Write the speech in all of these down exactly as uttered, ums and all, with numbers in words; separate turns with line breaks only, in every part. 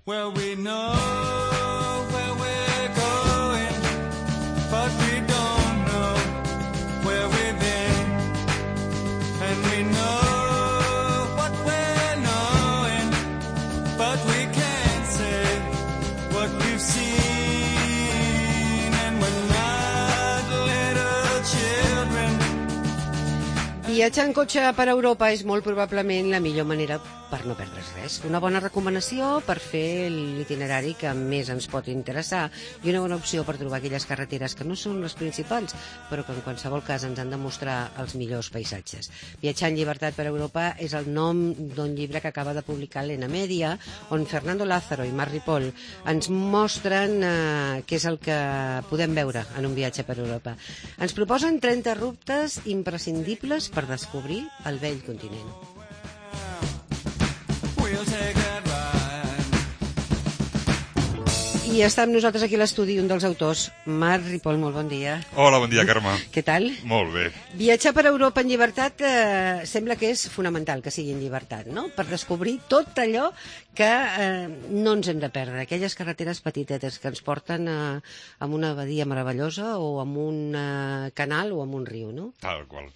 Well, we know where we're going, but we don't know where we've been. And we know what we're knowing, but we can't say what we've seen. And we're not little children.
Viatjar en cotxe per Europa és molt probablement la millor manera per no perdre's res. Una bona recomanació per fer l'itinerari que més ens pot interessar i una bona opció per trobar aquelles carreteres que no són les principals, però que en qualsevol cas ens han de mostrar els millors paisatges. Viatjar en llibertat per Europa és el nom d'un llibre que acaba de publicar l'Ena Media, on Fernando Lázaro i Marc Ripoll ens mostren eh, què és el que podem veure en un viatge per Europa. Ens proposen trenta rutes imprescindibles per descobrir el vell continent. I està amb nosaltres aquí a l'estudi un dels autors, Marc Ripoll, molt bon dia.
Hola, bon dia, Carme.
Què tal?
Molt bé.
Viatjar per Europa en llibertat eh, sembla que és fonamental que sigui en llibertat, no? Per descobrir tot allò que eh, no ens hem de perdre, aquelles carreteres petitetes que ens porten a, a una badia meravellosa o a un eh, canal o a un riu, no?
Tal qual.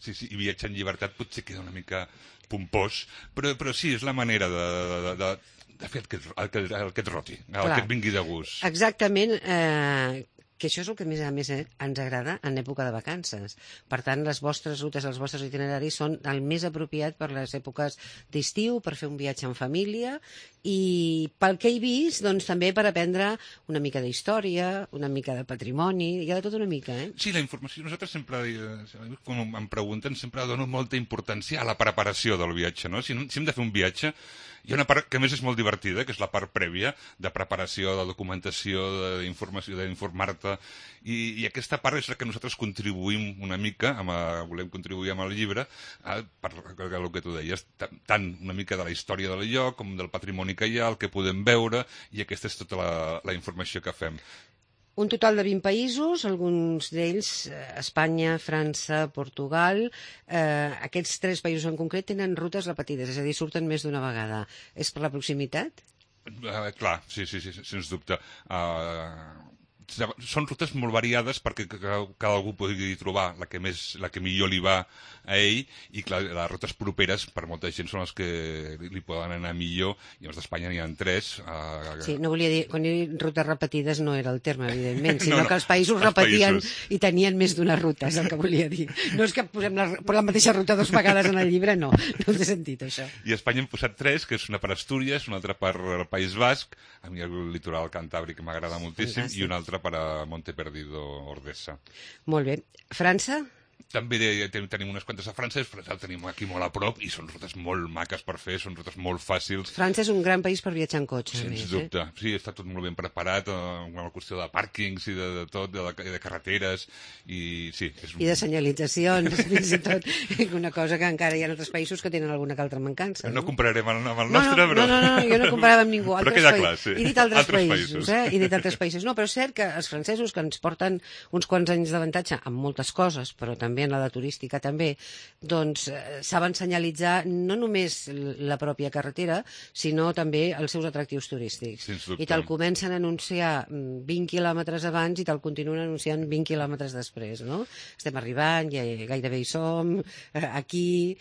Sí, sí, i viatjar en llibertat potser queda una mica pompós, però, però sí, és la manera de, de, de, de fer el que, el, que, el que et roti, el
Clar.
que et vingui de gust.
Exactament, eh, que això és el que més a més ens agrada en època de vacances. Per tant, les vostres rutes, els vostres itineraris són el més apropiat per les èpoques d'estiu, per fer un viatge en família i pel que he vist, doncs també per aprendre una mica d'història, una mica de patrimoni, hi ha de tot una mica, eh?
Sí, la informació, nosaltres sempre, quan em pregunten, sempre dono molta importància a la preparació del viatge, no? Si, si hem de fer un viatge, hi ha una part que a més és molt divertida, que és la part prèvia de preparació, de documentació, d'informació, d'informar-te, i, i aquesta part és la que nosaltres contribuïm una mica, amb a, volem contribuir amb el llibre, a, per el que tu deies, tant una mica de la història del lloc, com del patrimoni que hi ha, el que podem veure, i aquesta és tota la, la informació que fem.
Un total de vint països, alguns d'ells, Espanya, França, Portugal. Eh, aquests tres països en concret tenen rutes repetides, és a dir, surten més d'una vegada. És per la proximitat?
Uh, clar, sí, sí, sí, sens dubte. Uh, són rutes molt variades perquè cada algú pugui trobar la que, més, la que millor li va a ell, i clar, les rutes properes per molta gent són les que li poden anar millor, i els d'Espanya n'hi ha tres. Uh...
Sí, no volia dir, quan he dit rutes repetides no era el terme, evidentment, sinó
no, no,
que els països
els
repetien
països.
I tenien més d'una ruta, és el que volia dir. No és que posem la, la mateixa ruta dues vegades en el llibre, no, no té sentit això.
I a Espanya hem posat tres, que és una per Astúries, una altra per el País Basc, a mi el litoral cantàbric m'agrada moltíssim, Fantàstic. I una altra per a Monteperdido, Ordesa.
Molt bé. França?
També tenim unes quantes a França, però el tenim aquí molt a prop i són rutes molt maques per fer, són rutes molt fàcils.
França és un gran país per viatjar en cotxe.
Sens
més,
dubte.
Eh?
Sí, està tot molt ben preparat, amb la qüestió de pàrquings i de, de tot, de, de carreteres, i sí. És un...
I de senyalitzacions, fins i tot. Una cosa que encara hi ha altres països que tenen alguna que altra mancança.
No, no compararem amb el
no,
nostre,
no,
però...
No, no, no, jo no comparava amb ningú.
Però queda clar, sí.
He dit altres,
altres
països,
països.
eh? He dit altres països. No, però és cert que els francesos, que ens porten uns quants anys d'avantatge en moltes coses, però també en la de turística també, doncs eh, saben senyalitzar no només la pròpia carretera, sinó també els seus atractius turístics. I te'l comencen a anunciar vint quilòmetres abans i te'l continuen anunciant vint quilòmetres després, no? Estem arribant, ja gairebé hi som, eh, aquí...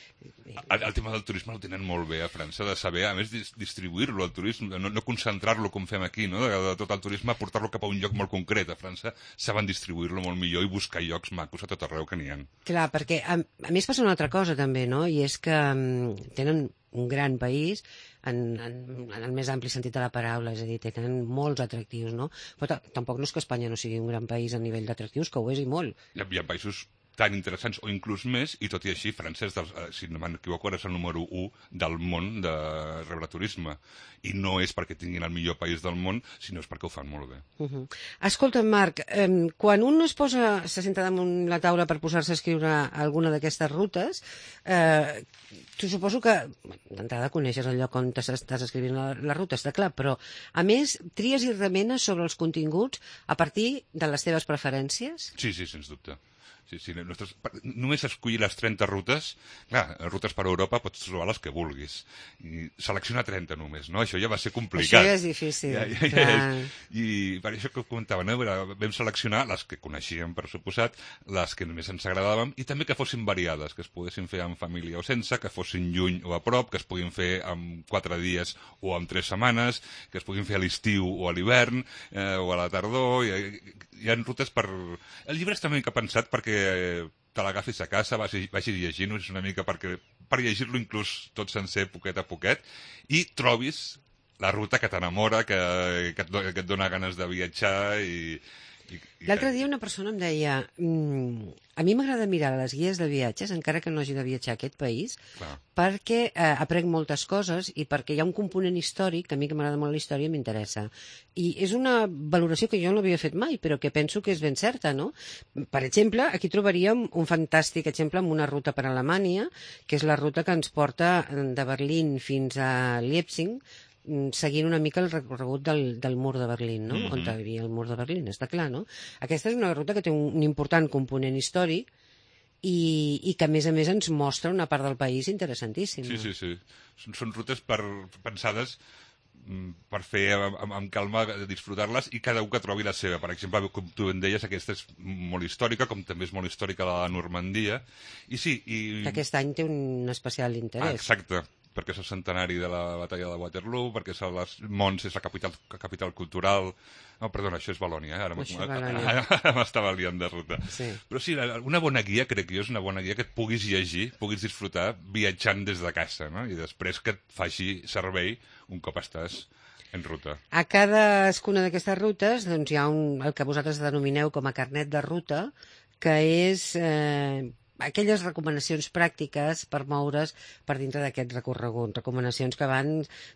El, el tema del turisme el tenen molt bé a França, de saber, a més, distribuir-lo, el turisme, no, no concentrar-lo com fem aquí, no? de, de tot el turisme, portar-lo cap a un lloc molt concret. A França saben distribuir-lo molt millor i buscar llocs macos a tot arreu que n'hi ha.
Clar, perquè a, a més passa una altra cosa també, no? I és que um, tenen un gran país en, en, en el més ampli sentit de la paraula, és a dir, tenen molts atractius, no? Però tampoc no és que Espanya no sigui un gran país a nivell d'atractius, que ho és i molt.
Hi ha, hi ha països tan interessants o inclús més, i tot i així França és, del, si no m'equivoco, és el número u del món de rebre turisme, i no és perquè tinguin el millor país del món, sinó és perquè ho fan molt bé.
Uh -huh. Escolta, Marc, eh, quan un es posa, se senta damunt la taula per posar-se a escriure alguna d'aquestes rutes, eh, tu suposo que d'entrada coneixes el lloc on estàs escrivint la, la ruta, està clar, però a més tries i remenes sobre els continguts a partir de les teves preferències?
Sí, sí, sens dubte. Sí, sí, nostres, només escollir les trenta rutes. Clar, rutes per Europa pots trobar les que vulguis. I seleccionar trenta només, no? Això ja va ser complicat.
Això ja és difícil.
Ja, ja, ja és. I per això que comentava, no? Vam seleccionar les que coneixíem, per suposat, les que només ens agradaven, i també que fossin variades, que es poguessin fer en família o sense, que fossin lluny o a prop, que es puguin fer en quatre dies o en tres setmanes, que es puguin fer a l'estiu o a l'hivern, eh, o a la tardor. Hi, hi ha rutes per... El llibre està una mica pensat perquè te l'agafis a casa, vagis, vagis llegint-ho, és una mica perquè, per llegir-lo inclús tot sencer, poquet a poquet, i trobis la ruta que t'enamora, que, que, et, que et dona ganes de viatjar i...
L'altre dia una persona em deia mmm, a mi m'agrada mirar les guies de viatges, encara que no hagi de viatjar a aquest país, Clar. perquè eh, aprenc moltes coses i perquè hi ha un component històric, que a mi que m'agrada molt la història, m'interessa. I és una valoració que jo no havia fet mai, però que penso que és ben certa, no? Per exemple, aquí trobaríem un fantàstic exemple amb una ruta per Alemanya, que és la ruta que ens porta de Berlín fins a Leipzig, seguint una mica el recorregut del, del mur de Berlín, no? Mm-hmm. On hi havia el mur de Berlín, està clar, no? Aquesta és una ruta que té un, un important component històric i, i que, a més a més, ens mostra una part del país interessantíssima.
Sí, sí, sí. Són, són rutes per, pensades per fer amb, amb calma, disfrutar-les, i cada un que trobi la seva. Per exemple, com tu en deies, aquesta és molt històrica, com també és molt històrica la Normandia. I sí, i...
Aquest any té un especial interès.
Ah, exacte. Perquè és el centenari de la batalla de Waterloo, perquè és les Mons és la capital, capital cultural... No, perdona, això és Valònia, eh? Ara m'estava liant de ruta. Sí. Però sí, una bona guia, crec que jo, és una bona guia que et puguis llegir, puguis disfrutar viatjant des de casa, no? I després que et faci servei un cop estàs en ruta.
A cadascuna d'aquestes rutes doncs, hi ha un, el que vosaltres denomineu com a carnet de ruta, que és... Eh, aquelles recomanacions pràctiques per moure's per dintre d'aquest recorregut. Recomanacions que van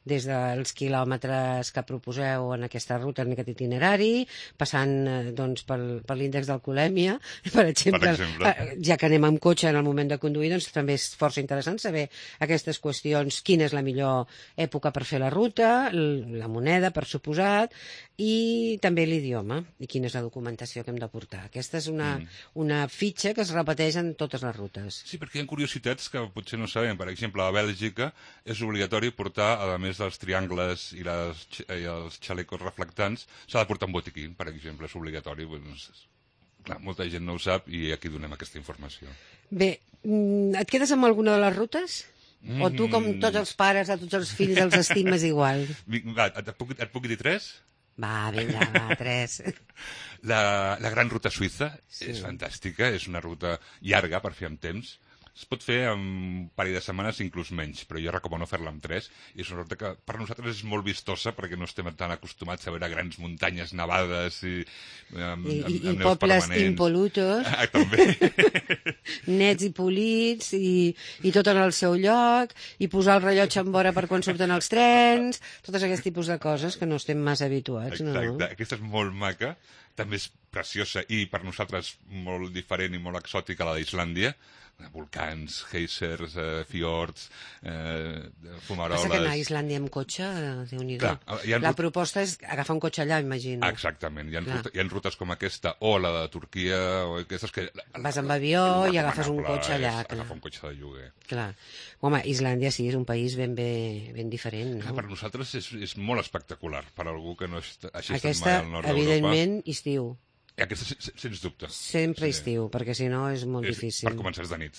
des dels quilòmetres que proposeu en aquesta ruta, en aquest itinerari, passant doncs, per, per l'índex d'alcoholèmia, per exemple, per exemple. Ja que anem amb cotxe en el moment de conduir, doncs també és força interessant saber aquestes qüestions, quina és la millor època per fer la ruta, la moneda, per suposat, i també l'idioma, i quina és la documentació que hem de portar. Aquesta és una, mm. una fitxa que es repeteix en totes les rutes.
Sí, perquè hi ha curiositats que potser no sabem. Per exemple, a Bèlgica és obligatori portar, a més dels triangles i, les, i els xalecos reflectants, s'ha de portar un botiquí, per exemple, és obligatori. Doncs, clar, molta gent no ho sap i aquí donem aquesta informació.
Bé, et quedes amb alguna de les rutes? O tu, com tots els pares, a tots els fills els estimes igual?
Va, et puc, et puc dir tres?
Va, vinga, va, tres.
La, la Gran Ruta Suïssa sí. és fantàstica, és una ruta llarga per fer amb temps. Es pot fer en un parell de setmanes, inclús menys, però jo recomano fer-la amb tres. I és una ruta que per nosaltres és molt vistosa perquè no estem tan acostumats a veure grans muntanyes nevades i, amb,
I,
amb,
i,
amb
i pobles impolutos.
Ah, també.
Nets i polits i, i tot en el seu lloc, i posar el rellotge en vora per quan surten els trens, tots aquests tipus de coses que no estem massa habituats.
Exacte,
no?
Aquesta és molt maca, també és preciosa i per nosaltres molt diferent i molt exòtica la d'Islàndia. Volcans, geysers, eh, fiords, eh, fumaroles...
Passa que anar a Islàndia amb cotxe, Déu-n'hi-do.
Clar, ha...
La proposta és agafar un cotxe allà, imagino.
Exactament, hi ha, ruta, hi ha rutes com aquesta, o la de Turquia, o aquestes que...
Vas amb avió i agafes un cotxe allà.
Agafar un cotxe de lloguer.
Clar. Home, Islàndia sí, és un país ben, bé, ben diferent, no?
Clar, per nosaltres és, és molt espectacular, per algú que no hagi estat
Aquesta,
mai al nord d'Europa.
evidentment, estiu.
I aquesta, sens dubte.
Sempre
sí.
estiu, perquè si no és molt
és
difícil.
Per començar de nit.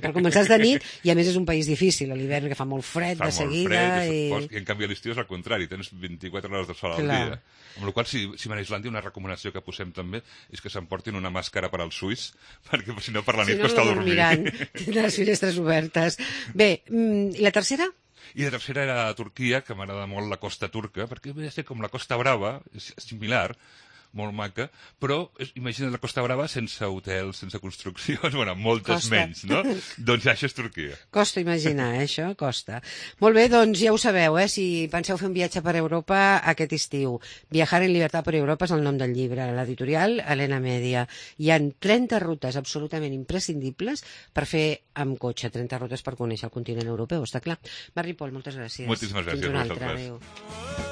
Per començar de nit, i a més és un país difícil, a l'hivern que fa molt fred
fa
de seguida.
Fa molt fred,
i...
fos, i en canvi a l'estiu és al contrari, tens vint-i-quatre hores de sol al dia. Amb la qual cosa, si, si van a Islàndia, una recomanació que posem també és que s'emportin una màscara per als suís, perquè si no per la nit
si no,
costa
no
dormir.
Tindran les finestres obertes. Bé, i la tercera?
I la tercera era a Turquia, que m'agrada molt la costa turca, perquè ve a ser com la Costa Brava, és similar, molt maca, però és, imagina't la Costa Brava sense hotels, sense construccions, bueno, moltes
costa.
menys, no? Doncs això és Turquia.
Costa imaginar, eh, això, costa. Molt bé, doncs ja ho sabeu, eh, si penseu fer un viatge per Europa aquest estiu. Viajar en llibertat per Europa és el nom del llibre, l'editorial Helena Media. Hi ha trenta rutes absolutament imprescindibles per fer amb cotxe, trenta rutes per conèixer el continent europeu, està clar. Marri Pol, moltes gràcies.
Moltíssimes gràcies
Fins una
a vosaltres.
altra, adéu.